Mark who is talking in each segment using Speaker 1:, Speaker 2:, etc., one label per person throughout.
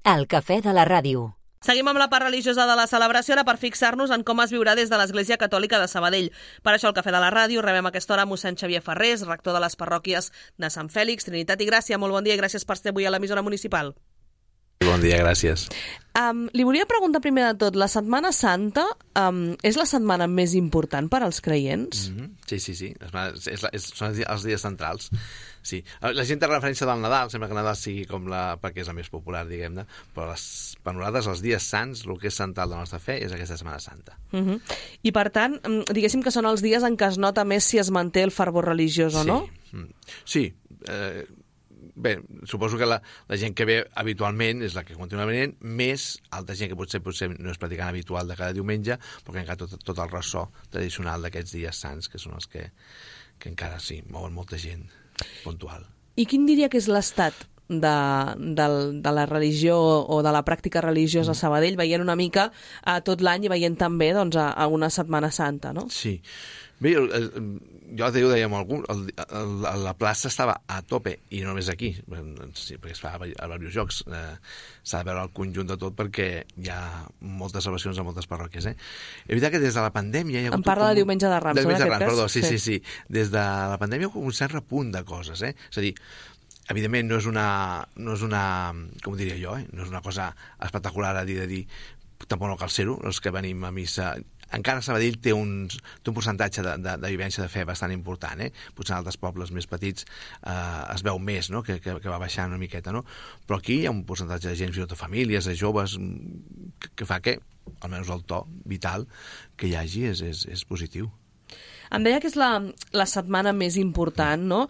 Speaker 1: El cafè de la ràdio.
Speaker 2: Seguim amb la part religiosa de la celebració ara per fixar-nos en com es viurà des de l'Església Catòlica de Sabadell. Per això al Cafè de la Ràdio rebem a aquesta hora mossèn Xavier Ferrés, rector de les parròquies de Sant Fèlix, Trinitat i Gràcia. Molt bon dia i gràcies per ser avui a l'emissora municipal.
Speaker 3: Bon dia, gràcies.
Speaker 2: Li volia preguntar primer de tot, la Setmana Santa és la setmana més important per als creients?
Speaker 3: Sí. Són els dies centrals. Sí. La gent té referència del Nadal, sembla que Nadal sigui perquè és la més popular, diguem-ne, però per nosaltres els dies sants, el que és central de la nostra fe és aquesta Setmana Santa.
Speaker 2: I per tant, diguéssim que són els dies en què es nota més si es manté el fervor religiós o no?
Speaker 3: Sí. Bé, suposo que la gent que ve habitualment és la que continua venint, més altra gent que potser no és practicant habitual de cada diumenge, però que encara tot el ressò tradicional d'aquests dies sants, que són els que encara sí, mouen molta gent puntual.
Speaker 2: I quin diria que és l'estat de la religió o de la pràctica religiosa a Sabadell, veient una mica tot l'any i veient també a una Setmana Santa, no?
Speaker 3: Sí. Bé, jo ho dèiem a algú, la plaça estava a tope, i no només aquí, sí, perquè es fa a diversos jocs, s'ha de veure el conjunt de tot perquè hi ha moltes celebracions a moltes parròquies. És veritat que des de la pandèmia...
Speaker 2: Em parla de Diumenge de Rams,
Speaker 3: perdó, sí. Des de la pandèmia hi ha un cert repunt de coses, És a dir, evidentment no és una com ho diria jo, no és una cosa espectacular a dir, tampoc no cal ser-ho, els que venim a missa... Encara Sabadell té un percentatge de vivència de fe bastant important, Potser en altres pobles més petits es veu més, no? que va baixant una miqueta, no? Però aquí hi ha un percentatge de gent, fins i tot de famílies, de joves, que fa que, almenys el to vital que hi hagi és positiu.
Speaker 2: Em deia que és la setmana més important, no?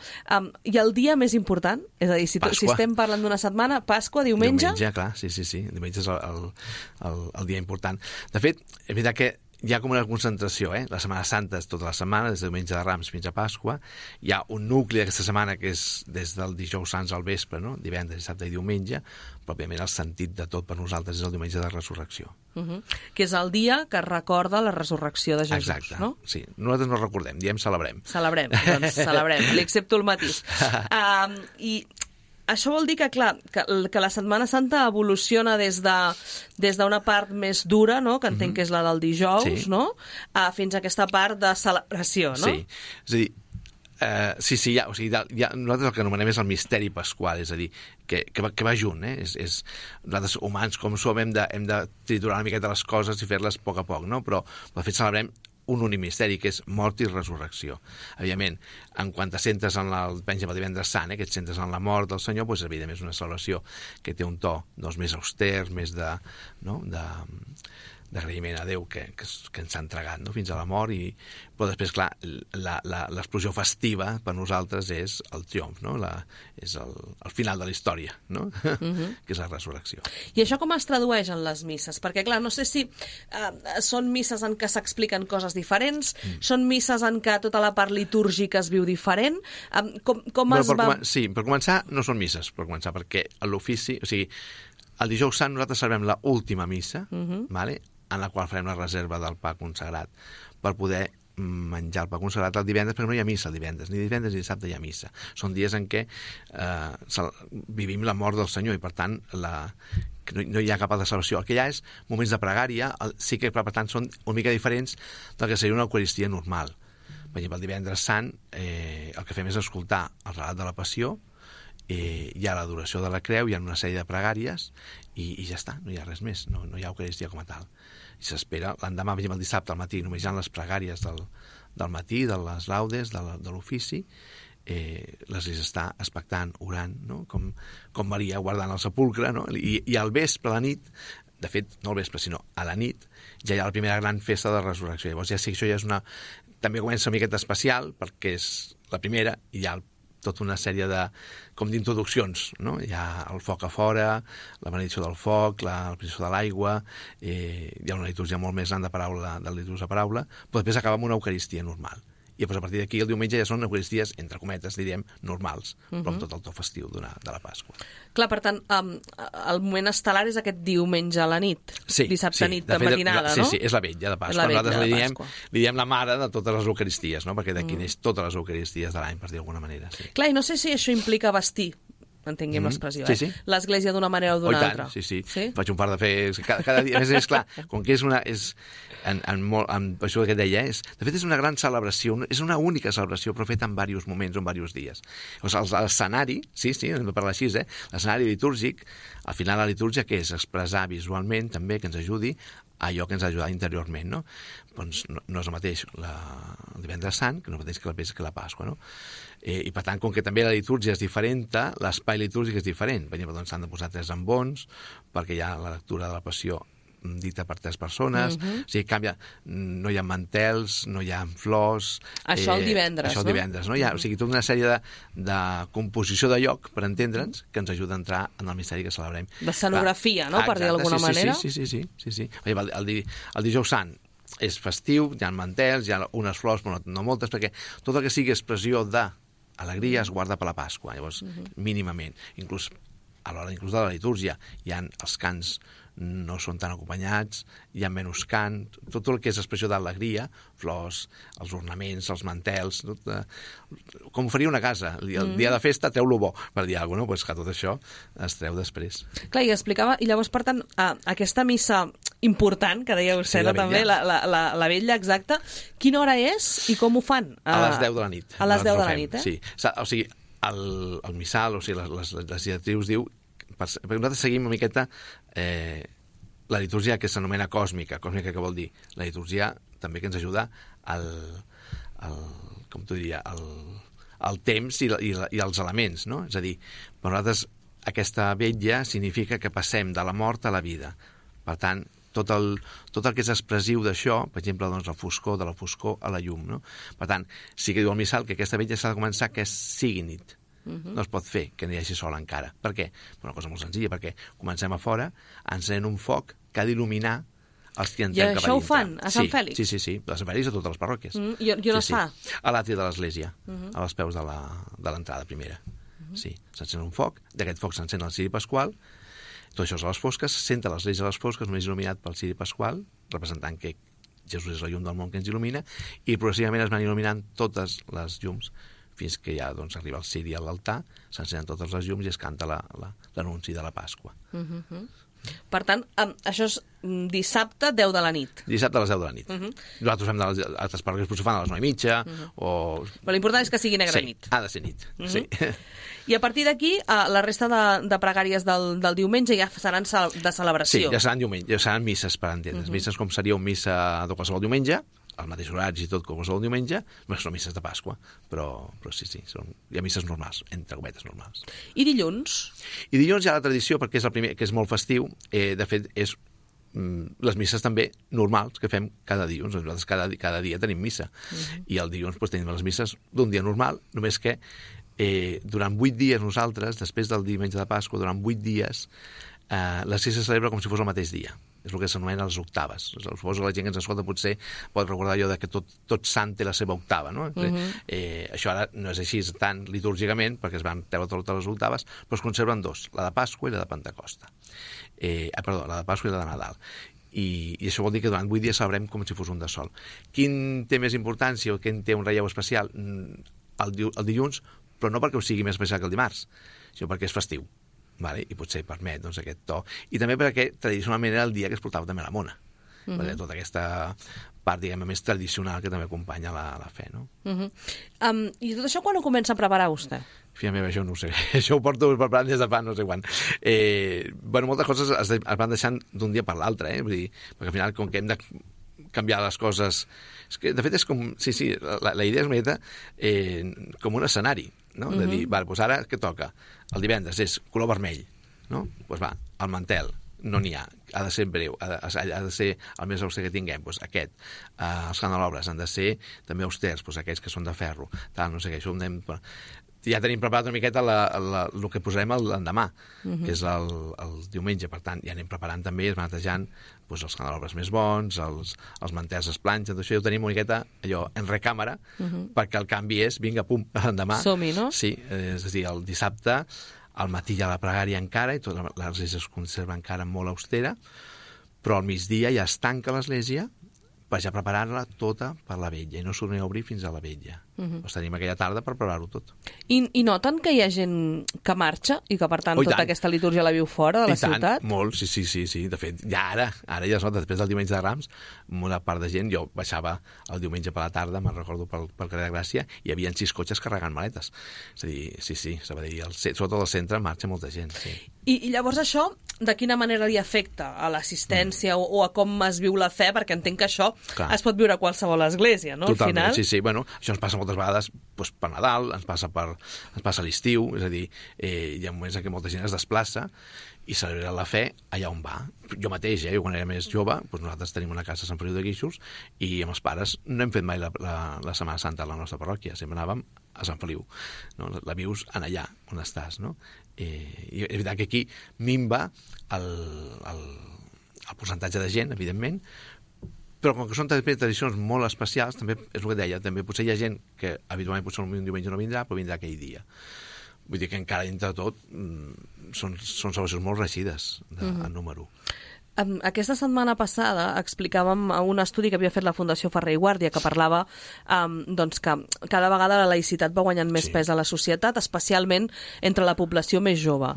Speaker 2: I el dia més important? És a dir, si estem parlant d'una setmana, Pasqua, diumenge?
Speaker 3: Diumenge, clar, sí. Diumenge és el dia important. De fet, és veritat que hi ha com una concentració, La Setmana Santa és tota la setmana, des de Diumenge de Rams fins a Pasqua. Hi ha un nucli d'aquesta setmana que és des del dijous sants al vespre, no? Divendres, dissabte i diumenge, però òbviament el sentit de tot per nosaltres és el diumenge de resurrecció.
Speaker 2: Que és el dia que recorda la resurrecció de Jesús.
Speaker 3: Exacte,
Speaker 2: no?
Speaker 3: Sí. Nosaltres no recordem, diem celebrem.
Speaker 2: Celebrem, li accepto el matís. I això vol dir que, clar, que la Setmana Santa evoluciona des d'una part més dura, no?, que entenc que és la del dijous, sí, no?, fins a aquesta part de celebració, no?
Speaker 3: Sí, és a dir, nosaltres el que anomenem és el misteri pasqual, és a dir, que va junt, nosaltres humans, com som, hem de triturar una miqueta les coses i fer-les a poc, no? Però de fet celebrem un únic misteri, que és mort i resurrecció. Evidentment, en quan te centres en el divendres sant, que et centres en la mort del Senyor, doncs, evidentment, és una celebració que té un to més auster, més d'agraïment a Déu que ens ha entregat, no?, fins a la mort, però després, clar, l'explosió festiva per nosaltres és el triomf, no?, és el final de la història, no?, que és la resurrecció.
Speaker 2: I això com es tradueix en les misses? Perquè, clar, no sé si són misses en què s'expliquen coses diferents, són misses en què tota la part litúrgica es viu diferent,
Speaker 3: Sí, per començar, no són misses, perquè l'ofici, o sigui, el dijous sant nosaltres celebrem l'última missa, en la qual farem la reserva del pa consagrat per poder menjar el pa consagrat el divendres, perquè no hi ha missa el divendres, ni divendres ni dissabte hi ha missa. Són dies en què vivim la mort del Senyor i, per tant, no hi ha cap altra celebració. El que hi ha és moments de pregària, sí que, per tant, són una mica diferents del que seria una eucaristia normal. Per exemple, el divendres sant el que fem és escoltar el relat de la Passió, hi ha l'adoració de la creu, hi ha una sèrie de pregàries i ja està, no hi ha res més, no hi ha eucaristia com a tal. I s'espera, l'endemà, el dissabte al matí, només hi ha les pregàries del matí, de les laudes, de l'ofici, l'Església està expectant, orant, no?, com Maria guardant el sepulcre, no? I al vespre, a la nit, de fet, no al vespre, sinó a la nit, ja hi ha la primera gran festa de resurrecció. Llavors ja sí que això ja és també comença una miqueta especial, perquè és la primera, i hi ha tota una sèrie d'introduccions, no? Hi ha el foc a fora, la benedicció del foc, la benedicció de l'aigua, hi ha una litúrgia molt més gran de litúrgia de paraula, però després acaba amb una eucaristia normal. I després, a partir d'aquí, el diumenge ja són eucaristies, entre cometes, diríem, normals, però amb tot el to festiu de la Pasqua.
Speaker 2: Clar, per tant, el moment estel·lar és aquest diumenge a la nit, dissabte nit, de matinada, no?
Speaker 3: Sí, és la vetlla de Pasqua. Nosaltres li diem la mare de totes les eucaristies, no?, perquè d'aquí neix totes les eucaristies de l'any, per dir d'alguna manera.
Speaker 2: Clar, i no sé si això implica vestir entenguem l'expressió,
Speaker 3: Sí, sí.
Speaker 2: l'església d'una manera o d'una altra.
Speaker 3: Sí. Faig un par de fets cada dia. A més, és clar, com que és una... això que et deia, de fet és una gran celebració, és una única celebració, però feta en diversos moments o en diversos dies. O sigui, l'escenari, sí, hem de parlar així, l'escenari litúrgic, al final la litúrgia, que és expressar visualment també, que ens ajudi allò que ens ha ajudat interiorment, no? Doncs no és el mateix el divendres sant, que no és el mateix que la Pasqua, no? I per tant, com que també la litúrgia és diferent, l'espai litúrgic és diferent. Per exemple, doncs s'han de posar 3 ambons, perquè hi ha la lectura de la Passió dita per 3 persones, o sigui, canvia, no hi ha mantels, no hi ha flors...
Speaker 2: Això el divendres,
Speaker 3: això el divendres, no? Hi ha, o sigui, tota una sèrie de composició de lloc, per entendre'ns, que ens ajuda a entrar en el misteri que celebrem.
Speaker 2: D'escenografia, no?, per dir d'alguna manera. Sí.
Speaker 3: El dijous sant és festiu, hi ha mantels, hi ha unes flors, però no moltes, perquè tot el que sigui expressió d'alegria es guarda per la Pasqua, llavors, mínimament. Inclús a l'hora de la litúrgia hi ha els cants no són tan acompanyats, hi ha menys cant, tot el que és expressió d'alegria, flors, els ornaments, els mantels, com faria una casa. El dia de festa treu-lo bo, per dir alguna cosa, pues que tot això es treu després.
Speaker 2: Clar, i explicava, i llavors, per tant, aquesta missa important, que deia vostè, també, la vetlla exacta, quina hora és i com ho fan?
Speaker 3: A les 10 de la nit.
Speaker 2: A les 10 de la nit,
Speaker 3: Sí, o sigui, el missal, o sigui, les directrius diu, perquè nosaltres seguim una miqueta la litúrgia que s'anomena còsmica que vol dir la litúrgia també que ens ajuda com t'ho diria, el temps i els elements, no? És a dir, per nosaltres aquesta vetlla significa que passem de la mort a la vida. Per tant, tot el que és expressiu d'això, per exemple, doncs, la foscor, de la foscor a la llum, no? Per tant, sí que diu el missal que aquesta vetlla s'ha de començar que sigui nit. No es pot fer que no hi hagi sol encara. Per què? Una cosa molt senzilla, perquè comencem a fora, encenem un foc que ha d'il·luminar els que entrem cap a dintre.
Speaker 2: I això ho fan a Sant Fèlix?
Speaker 3: Sí. A Sant Fèlix a totes les parròquies.
Speaker 2: I on es fa?
Speaker 3: A l'àtria de l'església, als peus de l'entrada primera. Sí, s'encén un foc, d'aquest foc s'encén el ciri pasqual, tot això és a les fosques, s'entra l'església a les fosques, només il·luminat pel ciri pasqual, representant que Jesús és la llum del món que ens il·lumina, i progressivament es van il·luminant totes les llums fins que ja doncs, arriba el ciri a l'altar, s'encenen totes les llums i es canta l'anunci de la Pasqua.
Speaker 2: Per tant, això és dissabte 10 de la nit.
Speaker 3: Dissabte a les 10 de la nit. Nosaltres fem de les altres parròquies, però s'ho fan a les 9:30 o...
Speaker 2: Però l'important és que sigui negra nit.
Speaker 3: Ha de ser nit, sí.
Speaker 2: I a partir d'aquí, la resta de pregàries del diumenge ja seran de celebració.
Speaker 3: Sí, ja seran diumenge, ja seran misses, per entendre's. Misses com seria una missa de qualsevol diumenge, als mateixos horaris i tot com qualsevol diumenge, no són misses de Pasqua, però sí, hi ha misses normals, entre cometes normals.
Speaker 2: I dilluns?
Speaker 3: I dilluns hi ha la tradició, perquè és el primer, que és molt festiu, de fet, és les misses també normals que fem cada dilluns. Nosaltres cada dia tenim missa. I el dilluns tenim les misses d'un dia normal, només que durant 8 dies nosaltres, després del diumenge de Pasqua, durant 8 dies, la se celebra com si fos el mateix dia. És el que s'anomena les octaves. Suposo que la gent que ens escolta potser pot recordar allò que tot sant té la seva octava, no? Això ara no és així tant litúrgicament, perquè es van treure totes les octaves, però es conserven 2, la de Pasqua i la de Pentecosta. La de Pasqua i la de Nadal. I això vol dir que durant 8 dies celebrem com si fos un de sol. Quin té més importància o quin té un relleu especial? El dilluns, però no perquè ho sigui més especial que el dimarts, sinó perquè és festiu. Vale? I potser permet aquest to. I també perquè tradicionalment era el dia que es portava també la mona. Tota aquesta part, diguem-ne, més tradicional que també acompanya la fe, no?
Speaker 2: I tot això quan ho comença a preparar vostè?
Speaker 3: Filla meva, això no ho sé. Això ho porto preparant des de fa no sé quan. Moltes coses es van deixant d'un dia per l'altre, vull dir, perquè al final, com que hem de canviar les coses... És que, de fet, és com... Sí, la idea és una mica com un escenari, no? De dir, doncs ara què toca? El divendres és color vermell, no? Doncs va, el mantel, no n'hi ha, ha de ser breu, ha de ser el més auster que tinguem, doncs aquest. Els candelobres han de ser també austers, doncs aquells que són de ferro, tal, no sé què, això ho anem... Ja tenim preparat una miqueta el que posarem l'endemà, que és el diumenge. Per tant, ja anem preparant també, es van netejant els candelobres més bons, els mantels es planxen, tot això ja ho tenim una miqueta allò en recàmera, perquè el canvi és, vinga, pum, l'endemà.
Speaker 2: Som-hi, no?
Speaker 3: Sí, és a dir, el dissabte, al matí hi ha la pregària encara, i tota l'església es conserva encara molt austera, però al migdia ja es tanca l'església per ja preparar-la tota per la vetlla, i no s'ho a obrir fins a la vetlla. Doncs tenim aquella tarda per preparar-ho tot.
Speaker 2: I noten que hi ha gent que marxa i que, per tant, tota aquesta litúrgia la viu fora de la ciutat?
Speaker 3: Molt, sí. De fet, ja ara ja es nota, després del diumenge de Rams, una part de gent, jo baixava el diumenge per la tarda, me'n recordo pel carrer de Gràcia, i hi havia 6 cotxes carregant maletes. És a dir, sí, Sabadell, sobretot al centre, marxa molta gent, sí.
Speaker 2: I llavors això, de quina manera li afecta a l'assistència o a com es viu la fe? Perquè entenc que això es pot viure a qualsevol església, no?
Speaker 3: Totalment,
Speaker 2: al final.
Speaker 3: sí. Bueno, això ens passa moltes vegades per Nadal, ens passa a l'estiu, és a dir, hi ha moments en què molta gent es desplaça i celebra la fe allà on va. Jo mateix, jo quan era més jove, nosaltres tenim una casa a Sant Feliu de Guíxols i amb els pares no hem fet mai la Setmana Santa a la nostra parròquia, sempre anàvem a Sant Feliu, no? La vius en allà on estàs, no? I és veritat que aquí minva el percentatge de gent, evidentment, però com que són també tradicions molt especials, també és el que deia, també potser hi ha gent que habitualment potser un diumenge no vindrà, però vindrà aquell dia. Vull dir que encara entre tot són celebracions molt reeixides en número.
Speaker 2: Aquesta setmana passada explicàvem un estudi que havia fet la Fundació Ferrer i Guàrdia que parlava doncs que cada vegada la laïcitat va guanyant més pes a la societat, especialment entre la població més jove.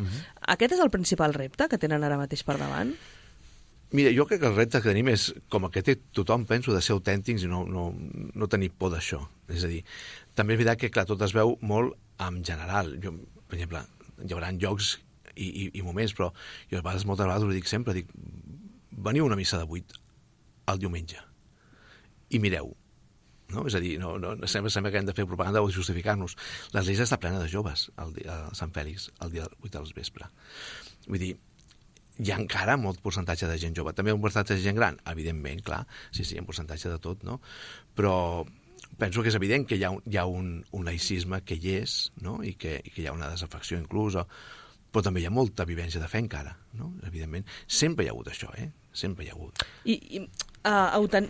Speaker 2: Aquest és el principal repte que tenen ara mateix per davant?
Speaker 3: Mira, jo crec que el repte que tenim és, com el que té tothom, penso, de ser autèntics i no tenir por d'això. És a dir, també és veritat que, clar, tot es veu molt en general. Jo, per exemple, hi haurà llocs i moments, però jo moltes vegades ho dic sempre, veniu a una missa de 8 el diumenge i mireu, no? És a dir, sembla que hem de fer propaganda o justificar-nos. L'església està plena de joves a Sant Fèlix el dia 8 del vespre. Vull dir, hi ha encara molt percentatge de gent jove. També un percentatge de gent gran, evidentment, clar, sí, un percentatge de tot, no? Però penso que és evident que hi ha un laïcisme que hi és, no? I que hi ha una desafecció inclús, però també hi ha molta vivència de fe encara, no? Evidentment. Sempre hi ha hagut això, Sempre hi ha hagut.
Speaker 2: I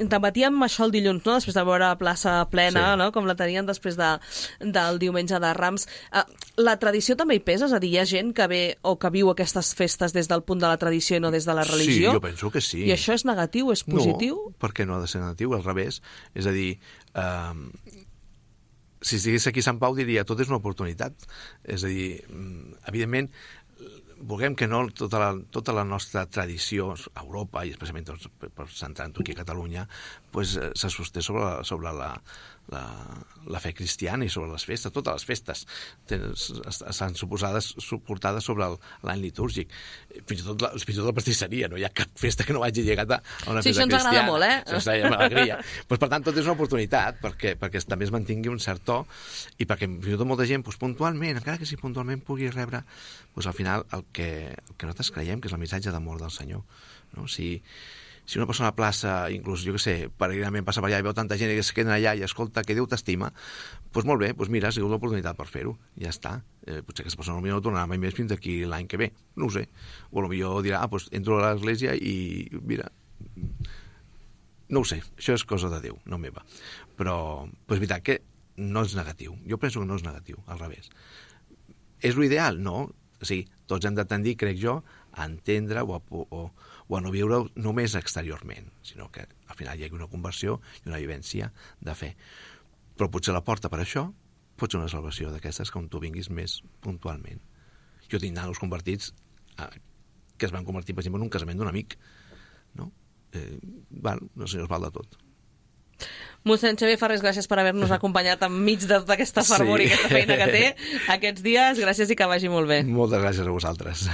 Speaker 2: debatíem això el dilluns, no? Després de veure plaça plena, no? Com la tenien després del diumenge de Rams. La tradició també hi pesa? És a dir, hi ha gent que ve o que viu aquestes festes des del punt de la tradició i no des de la religió?
Speaker 3: Sí, jo penso que sí.
Speaker 2: I això és negatiu, és positiu?
Speaker 3: No, perquè no ha de ser negatiu, al revés. És a dir, si estigués aquí a Sant Pau diria tot és una oportunitat. És a dir, evidentment, vulguem que no, tota la nostra tradició a Europa, i especialment per centrar-nos aquí a Catalunya, se sosté sobre la fe cristiana i sobre les festes. Totes les festes estan suportades sobre l'any litúrgic. Fins i tot la pastisseria, no hi ha cap festa que no hagi llegat a una festa cristiana. Sí, això
Speaker 2: ens agrada molt,
Speaker 3: Això és alegria. Per tant, tot és una oportunitat perquè també es mantingui un cert to i perquè fins i tot molta gent puntualment, encara que si puntualment pugui rebre al final el que nosaltres creiem que és el missatge d'amor del Senyor. No? Si una persona a la plaça, inclús, jo què sé, peregrinament passa per allà i veu tanta gent que es queden allà i escolta que Déu t'estima, doncs molt bé, mira, ha sigut l'oportunitat per fer-ho, ja està. Potser aquesta persona potser no tornarà mai més fins d'aquí l'any que ve, no ho sé. O potser dirà, entro a l'església i mira, no ho sé, això és cosa de Déu, no meva. Però és veritat que no és negatiu, jo penso que no és negatiu, al revés. És l'ideal? No. O sigui, tots hem de tendir, crec jo, a entendre o a no viure només exteriorment, sinó que al final hi hagi una conversió i una vivència de fe. Però potser la porta per això pot ser una salvació d'aquestes que on tu vinguis més puntualment. Jo tinc nanos convertits que es van convertir, per exemple, en un casament d'un amic. No? El Senyor es val de tot.
Speaker 2: Mossèn Xavier Farrés, gràcies per haver-nos acompanyat enmig de tota aquesta fervor i aquesta feina que té aquests dies. Gràcies i que vagi molt bé.
Speaker 3: Moltes gràcies a vosaltres.